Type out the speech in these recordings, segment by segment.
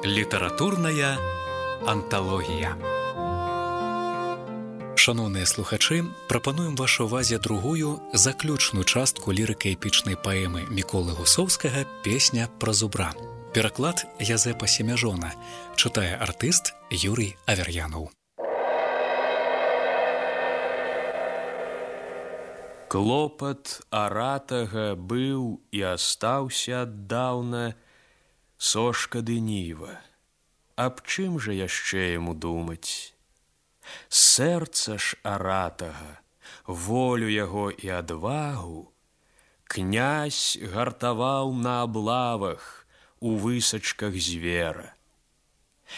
Літаратурная анталогія. Шановныя слухачы, прапануем вашай увазе другую заключную частку лірыка-эпічнай паэмы Міколы Гусоўскага «Песня пра зубра». Пераклад Язэпа Семяжона. Чытае артыст Юрый Авер'янаў. Клопат аратага быў і астаўся аддаўна сошка ды ніва. Аб чым жа яшчэ яму думаць? Сэрца ж аратага, волю яго і адвагу князь гартаваў на аблавах у высачках звера.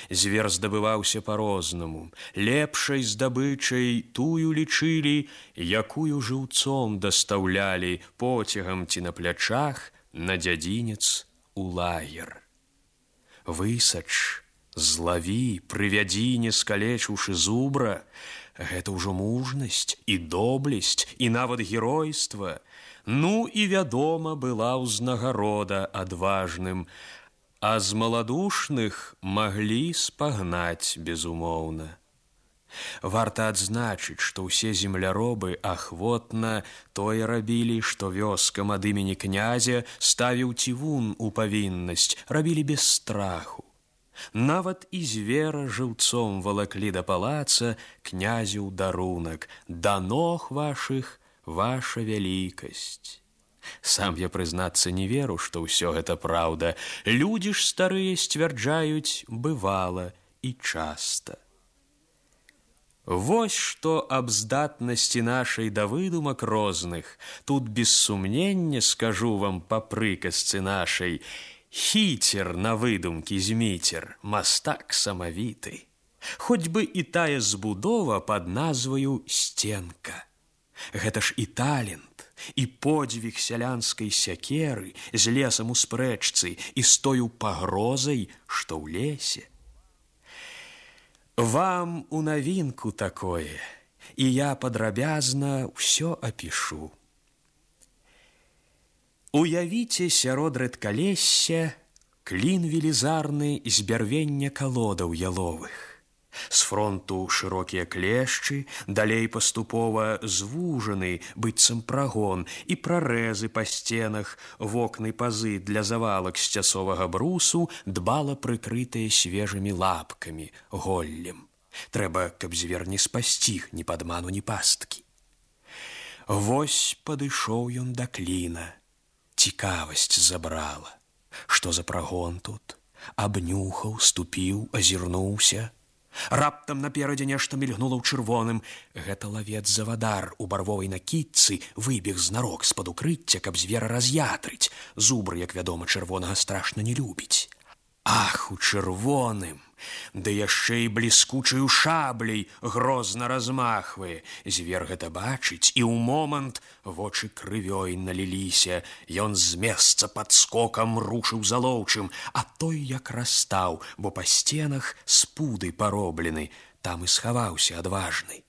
Звер здабываўся па-рознаму, лепшай здабычай тую лічылі, якую жыўцом дастаўлялі поцягам ці на плячах на дзядзінец у лагер. Высач, злаві, прывядзі, не скалечыўшы зубра, гэта ўжо мужнасць і доблесць, і нават геройства. Ну і вядома была ўзнагарода адважным, а з маладушных маглі спагнаць безумоўна. Варта адзначыць, што ўсе земляробы ахвотна тое рабілі, што вёскам ад імені князя ставіў цівун у павіннасць, рабілі без страху. Нават і звера жыўцом валаклі да палаца князю дарунак: да ног вашых ваша вялікасць. Сам я, прызнацца, не веру, што ўсё гэта праўда. Людзі ж старыя сцвярджаюць, бывала і часта. Вось што аб здатнасці нашай да выдумак розных. Тут без сумнення скажу вам па прыказцы нашай: хіцер на выдумкі зміцер, мастак самавіты. Хоць бы і тая збудова пад назваю сценка. Гэта ж і талент, і подзвіг сялянскай сякеры з лесам у спрэчцы і з тою пагрозай, што ў лесе. Вам у навінку такое, і я падрабязна ўсё апішу. Уявіце сярод рэдкалесся клін велізарны з бярвення калодаў яловых. З фронту шырокія клешчы, далей паступова звужаны, быццам прагон, і прарэзы па сценах, вокны пазы для завалак з цясовага брусу, дбала прыкрытыя свежымі лапкамі, голлем. Трэба, каб звер не спасціг ні падману, ні пасткі. Вось падышоў ён да кліна. Цікавасць забрала. Што за прагон тут? Абнюхаў, ступіў, азірнуўся. Раптам наперадзе нешта мільгнула ў чырвоным. Гэта лавец-завадар у барвовай накідцы выбег знарок з-пад укрыцця, каб звера раз'ятрыць. Зубр, як вядома, чырвонага страшна не любіць. Ах, у чырвоным! Да яшчэ і бліскучаю шабляй грозна размахвае. Звер гэта бачыць, і ў момант вочы крывёй наліліся. Ён з месца падскокам рушыў за лоўчым, а той як растаў, бо па сценах з пуды пароблены. Там і схаваўся адважны.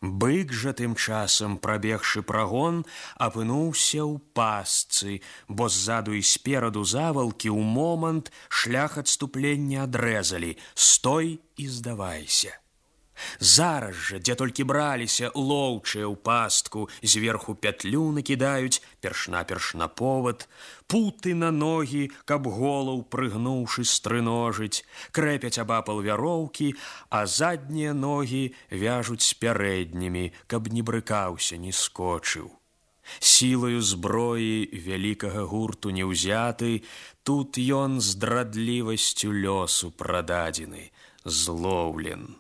Бык жа тым часам, прабегшы прагон, апынуўся ў пастцы, бо ззаду і спераду завалкі ў момант шлях адступлення адрэзалі. Стой і здавайся. Зараз жа, дзе толькі браліся лоўчыя ў пастку, зверху пятлю накідаюць, перш-наперш на повад, путы на ногі, каб голаў прыгнуўшы стрыножыць, крэпяць абапал вяроўкі, а заднія ногі вяжуць з пярэднімі, каб не брыкаўся, не скочыў. Сілаю зброі вялікага гурту не ўзяты, тут ён здрадлівасцю лёсу прададзены, злоўлен.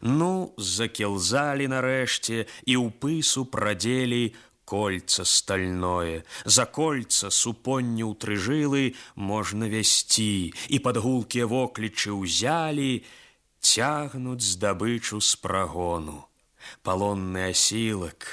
Ну, закілзалі нарэшце і ў пысу прадзелі кольца стальное. За кольца супонне ў тры жылы можна вясці, і пад гулкія воклічы ўзялі, цягнуць здабычу з прагону. Палонны асілак,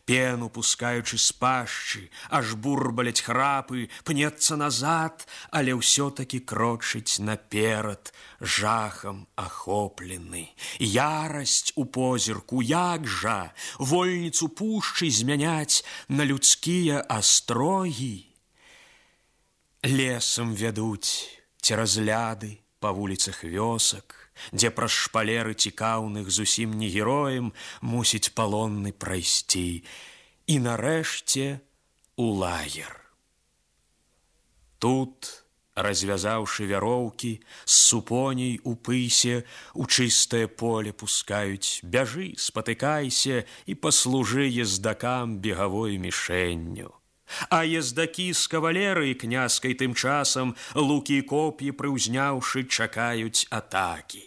пену пускаючы з пашчы, аж бурбаляць храпы, пнецца назад, але ўсё-такі крочыць наперад, жахам ахоплены. Ярасць у позірку, як жа вольніцу пушчы змяняць на людскія астрогі. Лесам вядуць цераз ляды, па вуліцах вёсак, дзе праз шпалеры цікаўных зусім не героем мусіць палонны прайсці, і нарэшце у лагер. Тут, развязаўшы вяроўкі, з супоней у пысе у чыстае поле пускаюць: бяжы, спатыкайся і паслужы ездакам бегавой мішэнню. А ездакі з кавалерыі князькай тым часам, лукі і коп'і прыўзняўшы, чакаюць атакі.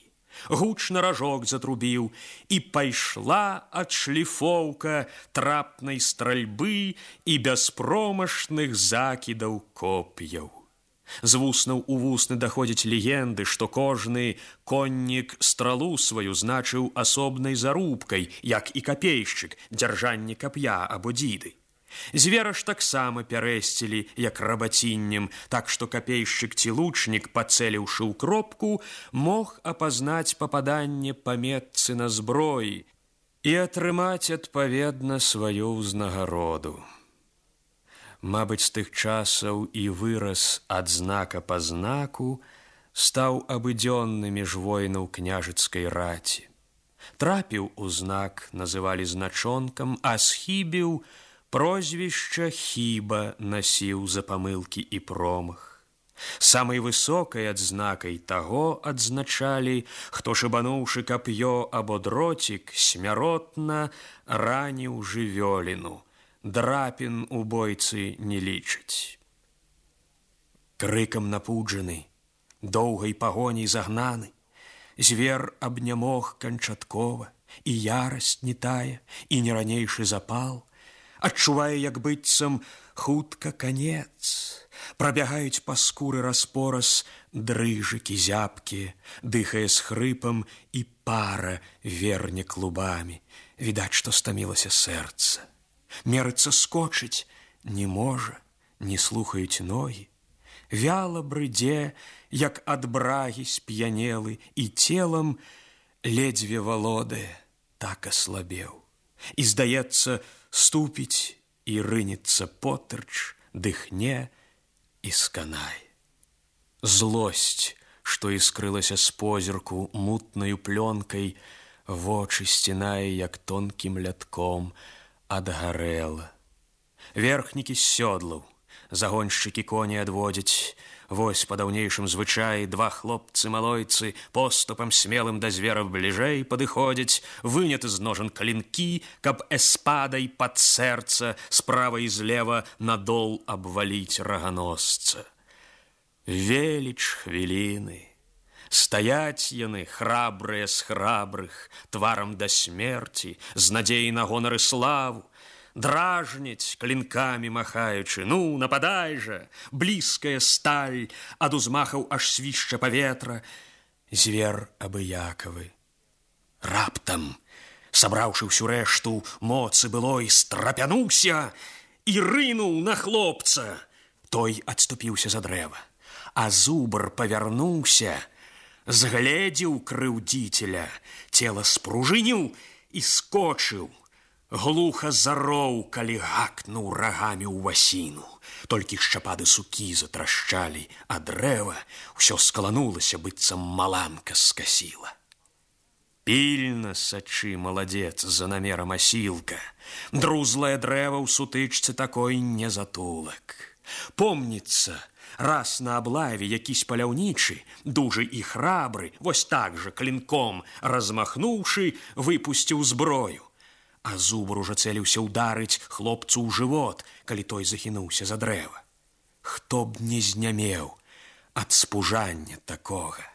Гучна ражок затрубіў, і пайшла адшліфоўка трапнай стральбы і бяспромашных закідаў коп'яў. З вуснаў у вусны даходзяць легенды, што кожны коннік стралу сваю значыў асобнай зарубкай, як і капейшчык, дзяржанне кап'я або дзіды. Звера ж таксама пярэсцілі, як рабаціннем, так што капейшчык ці лучнік, пацэліўшы ў кропку, мог апазнаць пападанне па метцы на зброі і атрымаць адпаведна сваю ўзнагароду. Мабыць, з тых часаў і выраз ад знака па знаку стаў абыдзённы між воінаў княжыцкай раці. Трапіў у знак называлі значонкам, а схібіў прозвішча хіба насіў за памылкі і промах. Самай высокай адзнакай таго адзначалі, хто, шыбануўшы кап'ё або дроцік, смяротна раніў жывёліну. Драпін у бойцы не лічаць. Крыкам напуджаны, доўгай пагоняй загнаны, звер абнямог канчаткова, і ярасць не тая, і не ранейшы запал, адчувае, як быццам хутка канец. Прабягаюць па скуры распораз дрыжыкі зябкія, дыхае з хрыпам, і пара верне клубамі. Відаць, што стамілася сэрца. Мерыцца скочыць не можа, не слухаюць ногі. Вяла брыдзе, як ад брагі сп'янелы, і целам ледзьве валодае, так аслабеў. І, здаецца, ступіць і рынецца потырч, дыхне і сканае. Злосць, што іскрылася з позірку мутнаю плёнкай, вочы сцінае, як тонкім лятком, адгарэла. Верхнікі з сёдлаў, загоншчыкі коні адводзяць. Вось па даўнейшым звычаі два хлопцы-малойцы поступам смелым да звера бліжэй падыходзяць, выняты з ножан клінкі, каб эспадай пад сэрца справа і злева надол абваліць раганосца. Веліч хвіліны. Стаяць яны, храбрыя з храбрых, тварам да смерці, з надзеяй на гонар і славу, дражняць, клінкамі махаючы: ну, нападай жа! Блізкая сталь, ад узмахаў аж свішча паветра. Звер абыякавы. Раптам, сабраўшы ўсю рэшту моцы былой, страпянуўся і рынуў на хлопца. Той адступіўся за дрэва, а зубр павярнуўся, згледзеў крыўдзіцеля, цела спружыніў і скочыў. Глуха зароў, калі гакнуў рагамі ў васіну. Толькі шчапады сукі затрашчалі, а дрэва ўсё скаланулася, быццам маланка скасіла. Пільна сачы, маладзец, за намерам асілка. Друзлае дрэва ў сутычцы такой не затулак. Помніцца, раз на аблаве якісь паляўнічы, дужы і храбры, вось так жа клінком размахнуўшы, выпусціў зброю. А зубр ужо цэліўся ўдарыць хлопцу ў жывот, калі той захінуўся за дрэва. Хто б не знямеў ад спужання такога.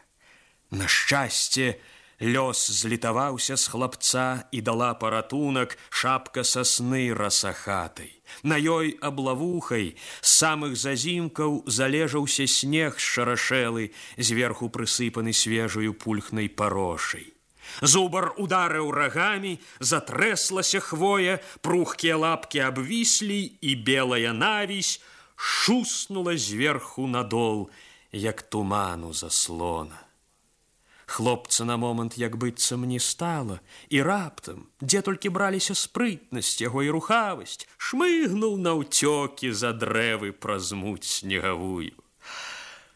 На шчасце, лёс злітаваўся з хлапца і дала паратунак шапка сасны расахатай. На ёй аблавухай з самых зазімкаў залежаўся снег шарашэлы, зверху прысыпаны свежаю пульхнай парошай. Зубар ударыў рагамі, затрэслася хвоя, прухкія лапкі абвіслі, і белая навісь шуснула зверху надол, як туману заслона. Хлопца на момант як быццам не стала, і раптам, дзе толькі браліся спрытнасць яго і рухавасць, шмыгнуў наўцёкі за дрэвы праз муць снегавую.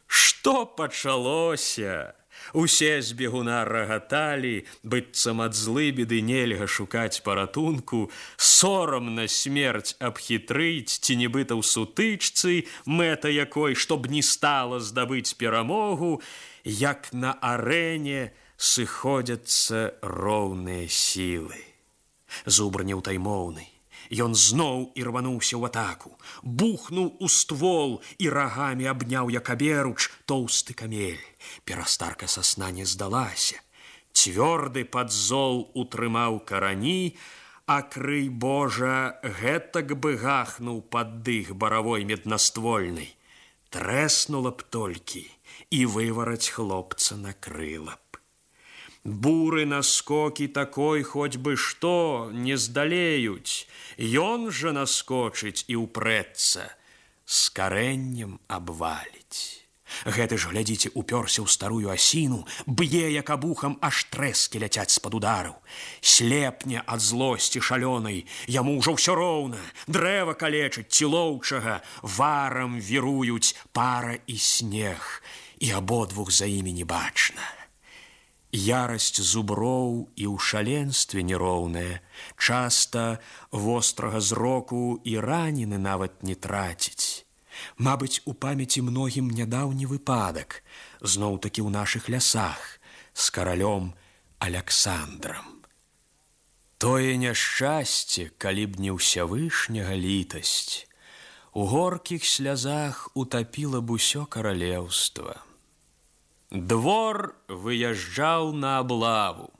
Што Што пачалося? Усе з бегуна рагаталі, быццам ад злыбеды нельга шукаць паратунку, сорамна смерць абхітрыць ці нібыта ў сутычцы, мэта якой, чтоб не стала здабыць перамогу, як на арэне сыходзяцца роўныя сілы. Зубр неўтаймоўны. Ён зноў ірвануўся ў атаку, бухнуў у ствол і рагамі абняў, як аберуч, тоўсты камель. Перастарка сасна не здалася. Цвёрды падзол утрымаў карані, а крый Божа гэтак бы гахнуў пад дых баравой меднаствольнай. Трэснула б толькі, і вывараць хлопца накрыла б. Буры наскокі такой хоць бы што не здалеюць. Ён жа наскочыць і ўпрэцца, з карэннем абваліць. Гэты ж, глядзіце, упёрся ў старую асіну, б'е, як абухам, аж трэскі ляцяць з-пад удараў. Слепне ад злосці шалёнай, яму ўжо ўсё роўна, дрэва калечыць ці лоўчага, варам віруюць пара і снег, і абодвух за імі не бачна. Ярасць зуброў і ў шаленстве нероўная, часта вострага зроку і ранены нават не траціць. Мабыць, у памяці многім нядаўні выпадак, зноў-такі ў нашых лясах, з каралём Аляксандрам. Тое няшчасце, калі б не ўсявышняга літасць, у горкіх слязах утапіла б усё каралеўства. Двор выязджаў на аблаву,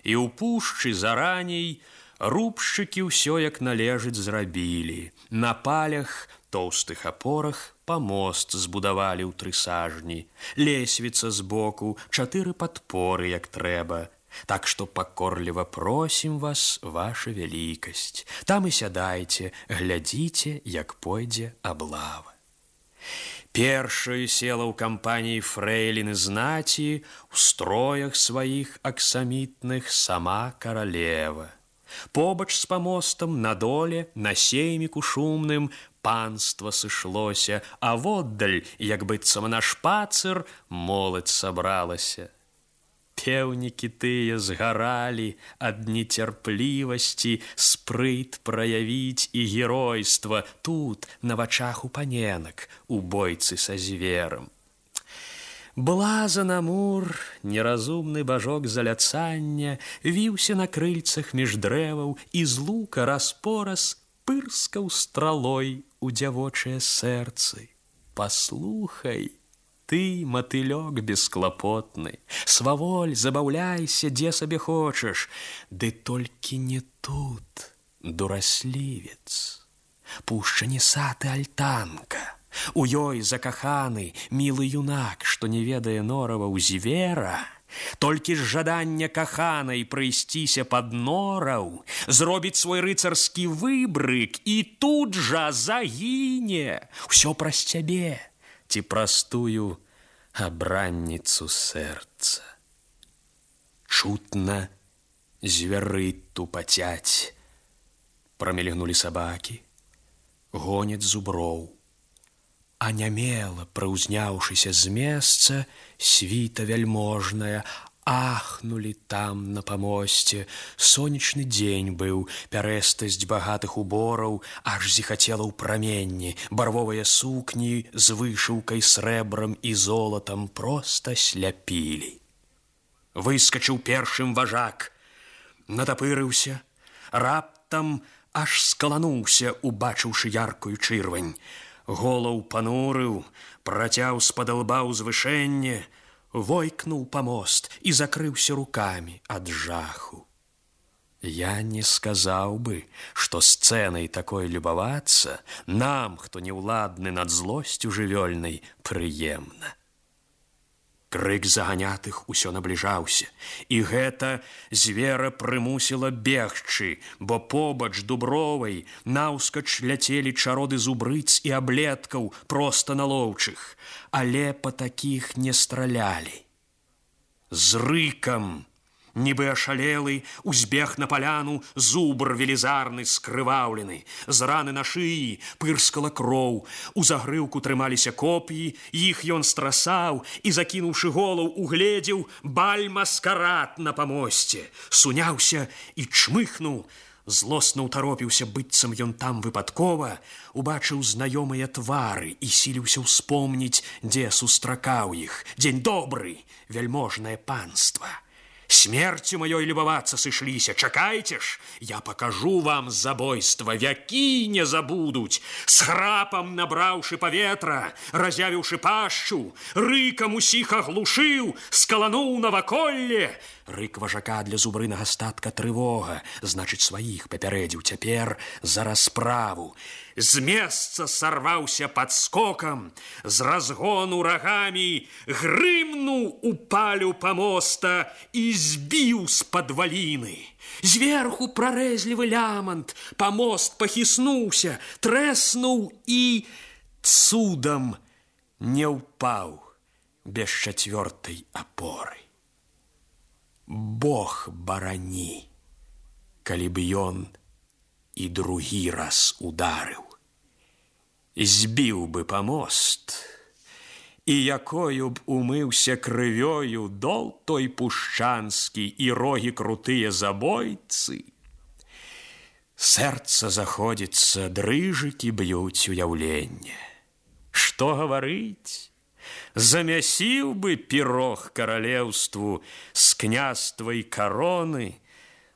і ў пушчы зараней рубшчыкі ўсё як належыць зрабілі. На палях, тоўстых апорах памост збудавалі ў 3 сажні, лесвіца збоку, 4 падпоры, як трэба. Так што пакорліва просім вас, ваша вялікасць. Там і сядайце, глядзіце, як пойдзе аблава. Першаю села ў кампаніі фрэйліны знаці, у строях сваіх аксамітных сама каралева. Побач з памостам на доле, на сейміку шумным, панства сышлося, а воддаль, як быццам на шпацыр, моладзь сабралася. Пеўнікі тыя згаралі ад нецярплівасці, спрыт праявіць і геройства тут, на вачах у паненак, у бойцы са зверам. Блазан Амур, неразумны бажок заляцання, віўся на крыльцах між дрэваў і з лука раз-пораз пырскаў стралой у дзявочыя сэрцы. Паслухай, ты, матылёк бесклапотны, сваволь, забаўляйся, дзе сабе хочаш, ды толькі не тут, дураслівец. Пушча не сад і альтанка. У ёй закаханы мілы юнак, што не ведае нораваў звера, толькі з жадання каханай прыйсціся пад нораў, зробіць свой рыцарскі выбрык і тут жа загіне. Усё праз цябе ці праз тую абранніцу сэрца. Чутна звяры тупацяць. Прамільгнулі сабакі, гоняць зуброў. Анямела, прыўзняўшыся з месца, світа вяльможная, ахнулі там на памосце. Сонечны дзень быў, пярэстасць багатых убораў аж зіхацела ў праменні, барвовыя сукні з вышыўкай срэбрам і золатам проста сляпілі. Выскачыў першым важак, натапырыўся, раптам аж скалануўся, убачыўшы яркую чырвань. Голаў панурыў, працяў з-пад лба ўзвышэнне, войкнуў памост і закрыўся рукамі ад жаху. Я не сказаў бы, што сцэнай такой любавацца нам, хто неўладны над злосцю жывёльнай, прыемна. Крык заганятых усё набліжаўся, і гэта звера прымусіла бегчы, бо побач дубровай наўскач ляцелі чароды зубрыц і аблеткаў проста на лоўчых, але па такіх не стралялі. З рыкам Нібы ашалелы, узбег на паляну зубр велізарны скрываўлены. З раны на шыі пырскала кроў. У загрыўку трымаліся коп'і, іх ён страсаў і, закінуўшы голаў, угледзеў баль-маскарад на памосце. Суняўся і чмыхнуў. Злосна ўтаропіўся, быццам ён там выпадкова, убачыў знаёмыя твары і сіліўся ўспомніць, дзе сустракаў іх. Дзень добры, вяльможнае панства. Смерцю маёй любавацца сышліся, чакайце ж, я пакажу вам забойства, вякі не забудуць. С храпам набраўшы паветра, разявіўшы пашчу, рыкам усіх аглушыў, скалануў наваколле. Рык важака для зубрынага статка трывога, значыць, сваіх папярэдзіў цяпер за расправу. З месца сарваўся падскокам, з разгону рагамі грымнуў у палю памоста і збіў з падваліны. Зверху прарэзлівы лямант, памост пахіснуўся, трэснуў і цудам не ўпаў без чацвёртай апоры. Бог барані, калі б ён і другі раз ударыў. Збіў бы памост, і якою б умыўся крывёю дол той пушчанскі і рогі крутыя забойцы. Сэрца заходзіцца, дрыжыкі б'юць уяўленне. Што гаварыць? Замясіў бы пірог каралеўству з княствай кароны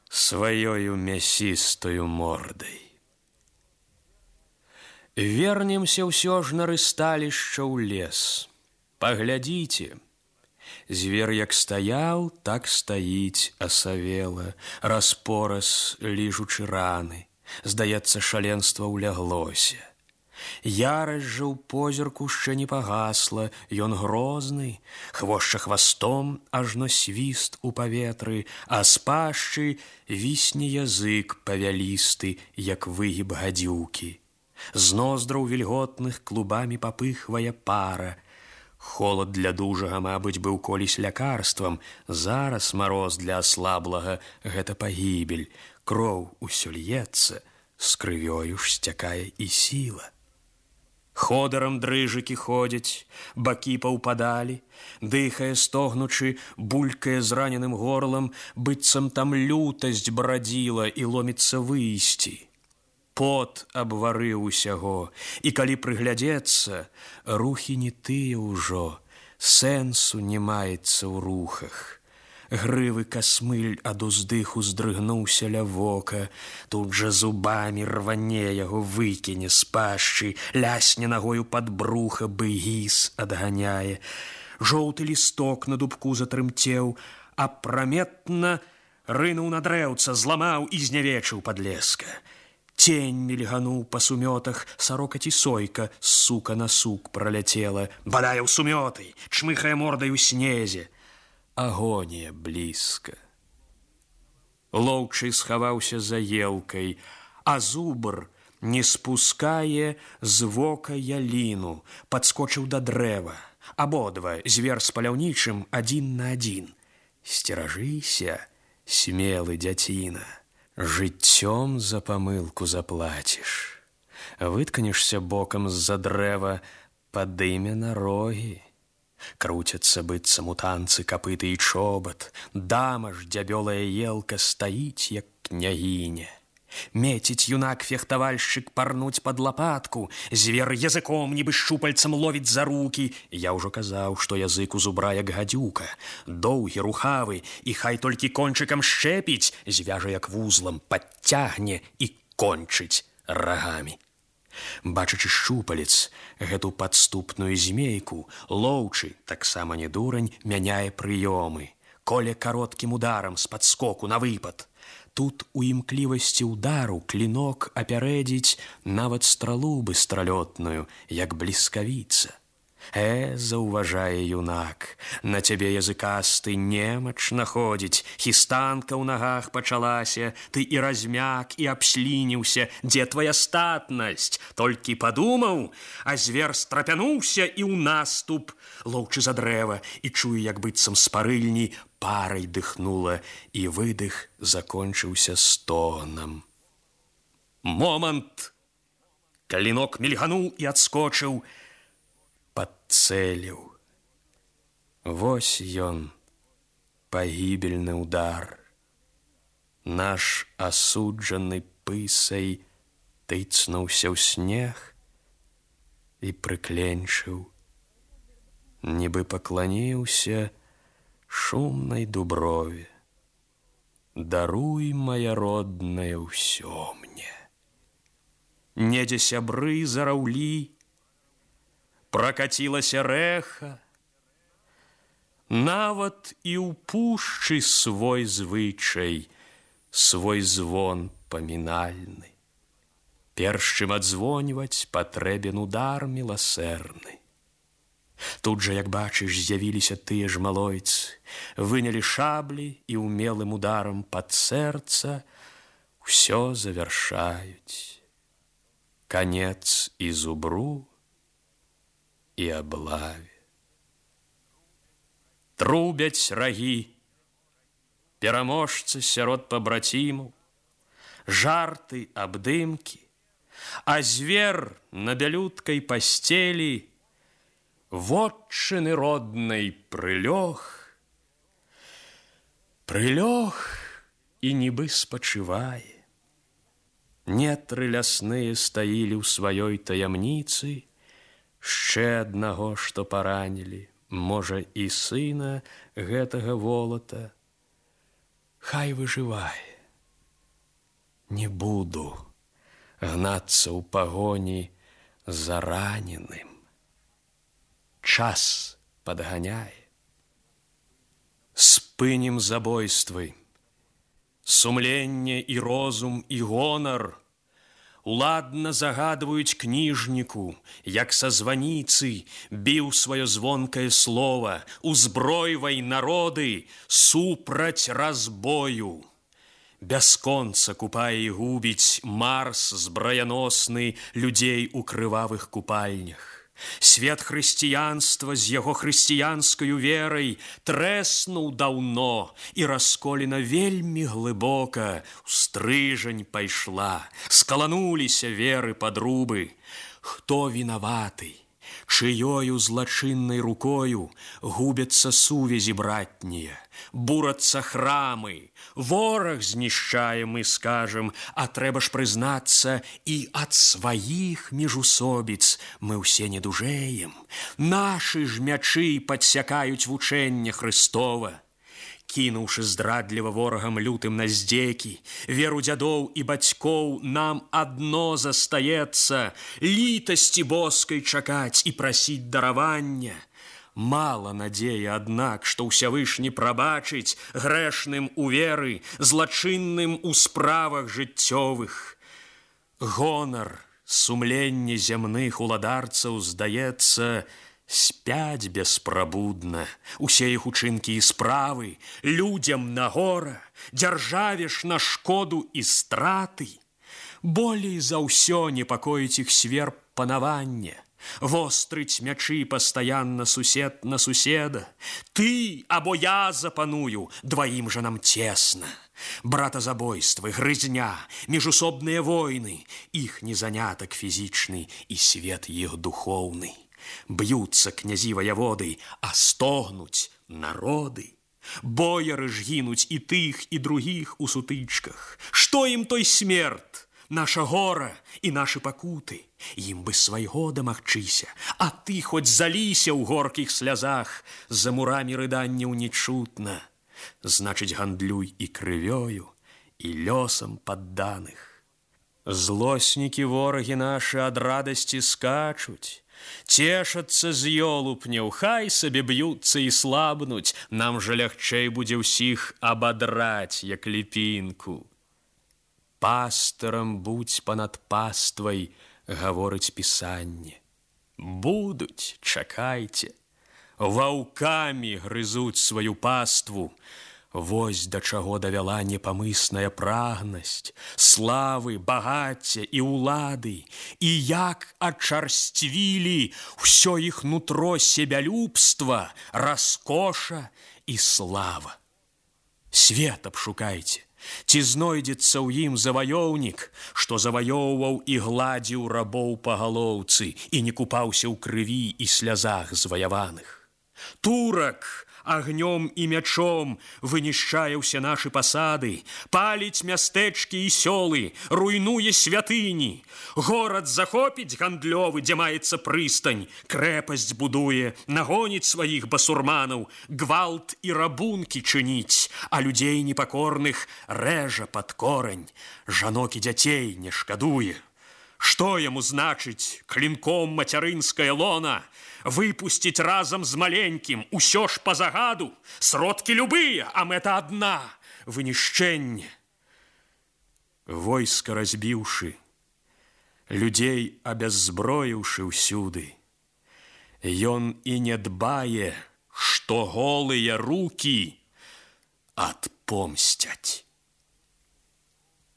сваёю мясістою мордай. Вернемся ўсё ж на рысталішча ў лес. Паглядзіце, звер як стаяў, так стаіць асавела, распораз ліжучы раны. Здаецца, шаленства ўляглося. Ярасць жа ў позірку яшчэ не пагасла, ён грозны, хвошча хвастом, ажно свіст у паветры, а з пашчы вісне язык павялісты, як выгіб гадзюкі. З ноздраў вільготных клубамі папыхвае пара. Холад для дужага, мабыць, быў колісь лякарствам, зараз мароз для аслаблага – гэта пагібель. Кроў усё льецца, з крывёю ж сцякае і сіла. Ходорам дрыжыкі ходзяць, бакі паўпадалі, дыхае стогнучы, булькае зраненым горлам, быццам там лютасць брадзіла і ломіцца выйсці. Пот абварыў усяго, і калі прыглядзецца, рухі не тыя ўжо, сэнсу не маецца ў рухах. Грывы касмыль ад уздыху здрыгнуўся ля вока, тут жа зубамі рване яго выкіне з пашчы, лясне нагою пад бруха, быгіс адганяе. Жоўты лісток на дубку затрымцеў, апраметна рынуў на дрэўца, зламаў і знявечыў падлеска. Тень мільгануў па сумётах, сарока ці сойка з сука на сук праляцела, бадае ў сумёты, чмыхае мордай у снезе. Агонія блізка. Лоўчы схаваўся за елкай, а зубр не спускае з вока яліну, падскочыў да дрэва. Абодва, звер з паляўнічым, адзін на адзін. Сцеражыся, смелы дзяціна, жыццём за памылку заплаціш. Вытканешся бокам з-за дрэва, падыме на рогі. Круцяцца быццам у танцы капыты і чобат, дама ж дзябёлая елка стаіць, як княгіня. Меціць юнак-фехтавальшчык парнуць пад лапатку, звер языком нібы шчупальцам ловіць за рукі. Я ўжо казаў, што язык у зубра як гадзюка, доўгі, рухавы, і хай толькі кончыкам шчэпіць, звяжа як вузлам, падцягне і кончыць рагамі. Бачачы шчупалец, гэту падступную змейку, лоўчы, таксама не дурань, мяняе прыёмы. Коле кароткім ударам з падскоку на выпад. Тут у імклівасці ўдару клінок апярэдзіць нават стралу быстралётную, як бліскавіца. Заўважае юнак, на цябе языкасты немач находзіць, хістанка ў нагах пачалася, ты і размяк, і абслініўся, дзе твая статнасць? Толькі падумаў, а звер страпянуўся і ў наступ, лоўчы за дрэва, і чуе, як быццам з парыльні парай дыхнула, і выдых закончыўся стогнам. Момант! Клінок мільгануў і адскочыў, падцэліў. Вось ён, пагібельны ўдар. Наш асуджаны пысай тыцнуўся ў снег і прыкленчыў, нібы пакланіўся шумнай дуброве. Даруй, мая родная, ўсё мне. Недзе сябры зараўлі, пракацілася рэха, нават і ў пушчы свой звычай, свой звон памінальны. Перш чым адзвоньваць, патрэбен удар міласэрны. Тут жа, як бачыш, з'явіліся тыя ж малойцы, вынялі шаблі і умелым ударам пад сэрца ўсё завяршаюць. Канец і зубру, і аблаве. Трубяць рагі, пераможцы сярод пабрацімаў, жарты, абдымкі, а звер на бялюткай пасцелі вотчыны роднай прылёг і нібы спачывае. Нетры лясныя стаілі ў сваёй таямніцы, яшчэ аднаго, што паранілі, можа, і сына гэтага волата. Хай выжывае. Не буду гнацца ў пагоні за раненым. Час падганяе. Спынім забойствы. Сумленне і розум і гонар уладна загадваюць кніжніку, як са званіцы біў сваё звонкае слова: узбройвай народы супраць разбою. Бясконца купае і губіць Марс збраяносны людзей у крывавых купальнях. Свет хрысціянства з яго хрысціянскаю верай трэснуў даўно, і расколіна вельмі глыбока ў стрыжань пайшла, скалануліся веры падрубы. Хто вінаваты? Чыёю злачыннай рукою губяцца сувязі братнія, бурацца храмы, вораг знішчае, мы скажам, а трэба ж прызнацца, і ад сваіх міжусобіц мы ўсе не дужэем. Нашы ж мячы падсякаюць вучэнне Хрыстова. Кінуўшы здрадліва ворагам лютым на здзекі, веру дзядоў і бацькоў, нам адно застаецца літасці боскай чакаць і прасіць даравання. Мала надзеі, аднак, што ўсявышні прабачыць грэшным у веры, злачынным у справах жыццёвых. Гонар, сумленне зямных уладарцаў, здаецца, спяць беспрабудна. Усе іх учынкі і справы людзям на гора, дзяржаве ж на шкоду і страты. Болей за ўсё непакоіць іх сверб панавання, вострыць мячы пастаянна сусед на суседа. Ты або я запаную, дваім жа нам цесна. Братазабойствы, грызня, міжусобныя войны, іх незанятак фізічны і свет іх духоўны. Б'юцца князі ваяводы, а стогнуць народы. Бояры ж гінуць і тых, і другіх у сутычках. Што ім той смерт? Наша гора і нашы пакуты. Ім бы свайго дамагчыся, а ты хоць заліся ў горкіх слязах, за мурамі рыданняў не чутна. Значыць, гандлюй і крывёю, і лёсам падданых. Злоснікі ворагі нашы ад радасці скачуць, цешацца з ёлупняў, хай сабе б'юцца і слабнуць, нам жа лягчэй будзе ўсіх абадраць, як ліпінку. Пастырам будзь панад паствай, гаворыць пісанне. Будуць, чакайце. Ваўкамі грызуць сваю паству. Вось да чаго давяла непамысная прагнасць, славы, багацця і ўлады, і як ачарсцвілі ўсё іх нутро себялюбства, раскоша і слава. Свет абшукайце, ці знойдзецца ў ім заваёўнік, што заваёўваў і гладзіў рабоў па галоўцы і не купаўся ў крыві і слязах зваяваных. Турак агнём і мячом вынішчае ўсе нашы пасады, паліць мястэчкі і сёлы, руйнуе святыні. Горад захопіць гандлёвы, дзе маецца прыстань, крэпасць будуе, нагоніць сваіх басурманаў, гвалт і рабункі чыніць, а людзей непакорных рэжа пад корань, жанок і дзяцей не шкадуе. Што яму значыць клінком мацярынская лона? Выпусціць разам з маленькім усё ж па загаду, сродкі любыя, а мэта адна – вынішчэнне. Войска разбіўшы, людзей абяззброіўшы ўсюды, ён і не дбае, што голыя рукі адпомсцяць.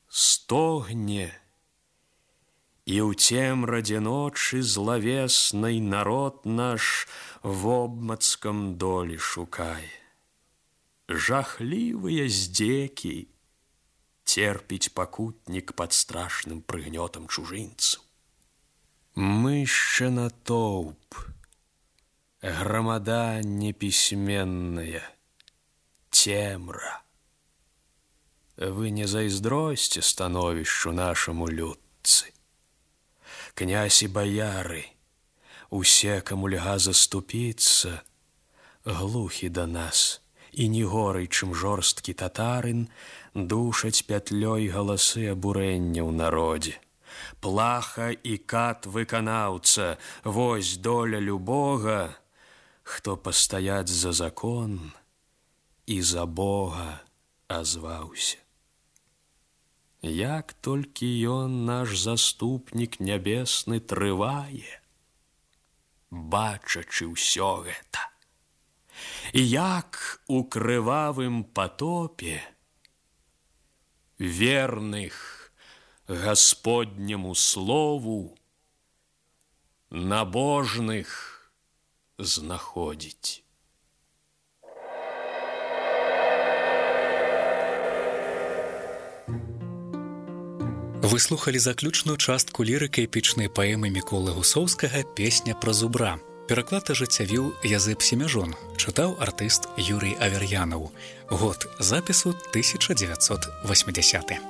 Стогне, і ў цемрадзе ночы злавеснай народ наш вобмацкам долі шукае. Жахлівыя здзекі церпіць пакутнік пад страшным прыгнётам чужынцаў. Мышча натоўп, грамада непісьменная, цемра. Вы не зайздросьце становішчу нашаму людцы. Князь і баяры, усе, каму льга заступіцца, глухі да нас, і не горай, чым жорсткі татарын, душаць пятлёй галасы абурэння ў народзе. Плаха і кат выканаўца, вось доля любога, хто пастаяць за закон і за Бога азваўся. Як толькі ён, наш заступнік нябесны, трывае, бачачы ўсё гэта, і як у крывавым патопе верных Гасподняму слову набожных знаходзіць. Вы слухалі заключную частку лірыка-эпічнай паэмы Міколы Гусоўскага «Песня пра зубра». Пераклад ажыццявіў Язэп Семяжон, чытаў артыст Юрый Авер'янаў. Год запісу 1980.